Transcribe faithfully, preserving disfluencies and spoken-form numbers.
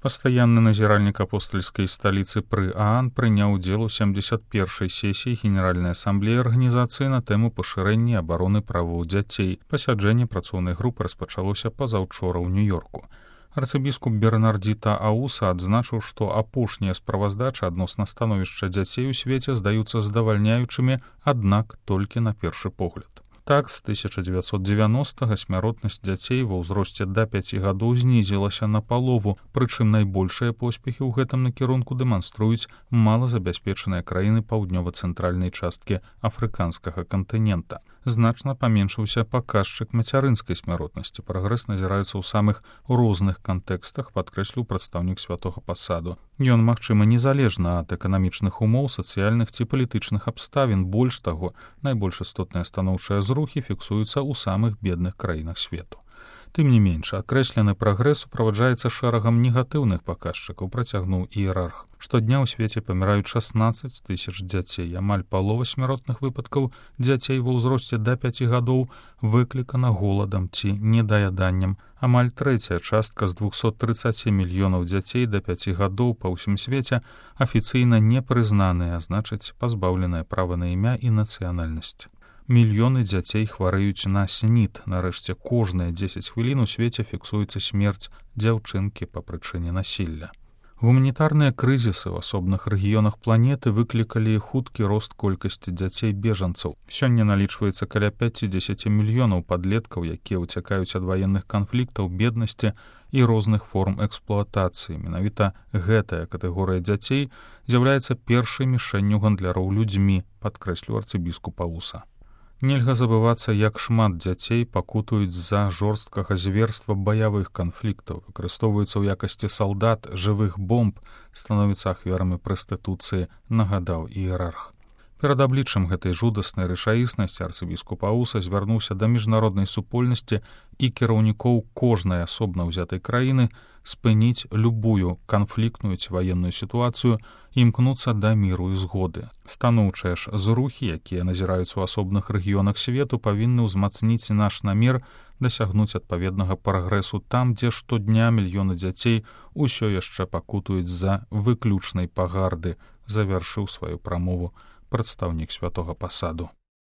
Пастаянны назіральнік апостальскай сталіцы пры ААН прыняў удзел у сямдзесят першай сесіі Генеральнай асамблеі арганізацыі на тэму пашырэння абароны правоў дзяцей. Пасяджэнне працоўнай групы распачалося пазаўчора ў Нью-Йорку. Арцыбіскуп Бернардзіта Ауса адзначыў, што апошнія справаздачы адносна становішча дзяцей у свеце здаюцца задавальняючымі, аднак толькі на першы погляд. Так, з тысяча дзевяцьсот дзевяностага смяротнасць дзяцей ва ўзросце да пяці гадоў знізілася на палову, прычым найбольшыя поспехі ў гэтым накірунку дэманструюць малазабяспечаныя краіны паўднёва-цэнтральнай часткі афрыканскага кантынента. Значна паменшыўся паказчык мацярынскай смяротнасці. Прагрэс назіраецца ў самых розных кантэкстах, падкрэсліў прадстаўнік святога пасаду. Ён магчымы незалежна ад эканамічных умоў, сацыяльных ці палітычных абставін. Больш таго, найбольш істотныя станоўчыя зрухі фіксуюцца ў самых бедных краінах свету. Тым не менш, акрэслены прагрэс суправаджаецца шэрагам негатыўных паказчыкаў, працягнуў іерарх. Штодня ў свеце паміраюць шаснаццаць тысяч дзяцей. Амаль палова смяротных выпадкаў дзяцей ва ўзросце да пяці гадоў выклікана голадам ці недаяданнем. Амаль трэцяя частка з двухсот трыццаці мільёнаў дзяцей да пяці гадоў па ўсім свеце афіцыйна не прызнаныя, а значыць, пазбаўленыя права на імя і нацыянальнасць. Мільёны дзяцей хварэюць на снід. Нарэшце, кожныя дзесяць хвілін у свеце фіксуецца смерць дзяўчынкі па прычыне насілля. Гуманітарныя крызісы ў асобных рэгіёнах планеты выклікалі хуткі рост колькасці дзяцей-бежанцаў. Сёння налічваецца каля пяцідзесяці мільёнаў падлеткаў, якія ўцякаюць ад ваенных канфліктаў, беднасці і розных форм эксплуатацыі. Менавіта гэтая катэгорыя дзяцей з'яўляецца першай мішэнню гандляроў людзьмі, падкрэсліў арцыбіскуп Ауса. Нельга забывацца, як шмат дзяцей пакутуюць з-за жорсткага зверства баявых канфліктаў, выкарыстоўваюцца ў якасці салдат, жывых бомб, становяцца ахвярамі прастытуцыі, нагадаў іерарх. Перад абліччам гэтай жудаснай рэчаіснасці арцыбіскуп Ауса звярнуўся да міжнароднай супольнасці і кіраўнікоў кожнай асобна ўзятай краіны спыніць любую канфліктную ці ваенную сітуацыю і імкнуцца да міру і згоды. Станоўчыя ж зрухі, якія назіраюцца ў асобных рэгіёнах свету, павінны ўзмацніць наш намер дасягнуць адпаведнага прагрэсу там, дзе штодня мільёны дзяцей усё яшчэ пакутуюць з-за выключнай пагарды, завяршыў сваю прамову прадстаўнік святога пасаду.